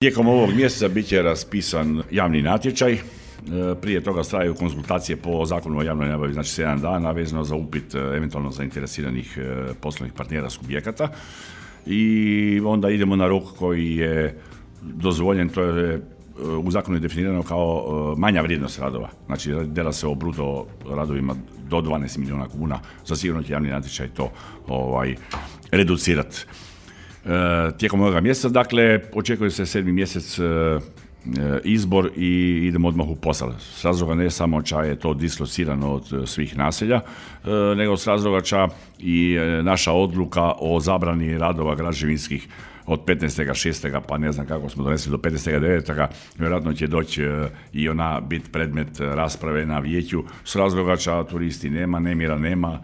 Tijekom ovog mjeseca bit će raspisan javni natječaj. Prije toga traju konzultacije po zakonu o javnoj nabavi, znači 7 dana, vezano za upit eventualno zainteresiranih poslovnih partnera subjekata. I onda idemo na rok koji je dozvoljen, to je u zakonu je definirano kao manja vrijednost radova. Znači, dela se o bruto radovima do 12 milijuna kuna. Za sigurno će javni natječaj to reducirati. Tijekom ovoga mjeseca, dakle, očekuje se 7. mjesec izbor i idemo odmah u posao. S razloga ne samo ča je to dislocirano od svih naselja, nego s razloga ča i naša odluka o zabrani radova građevinskih od 15.6. pa ne znam kako smo donesli do 15.9. vjerojatno će doći i ona biti predmet rasprave na vijeću. S razloga ča turisti nema, nemira nema,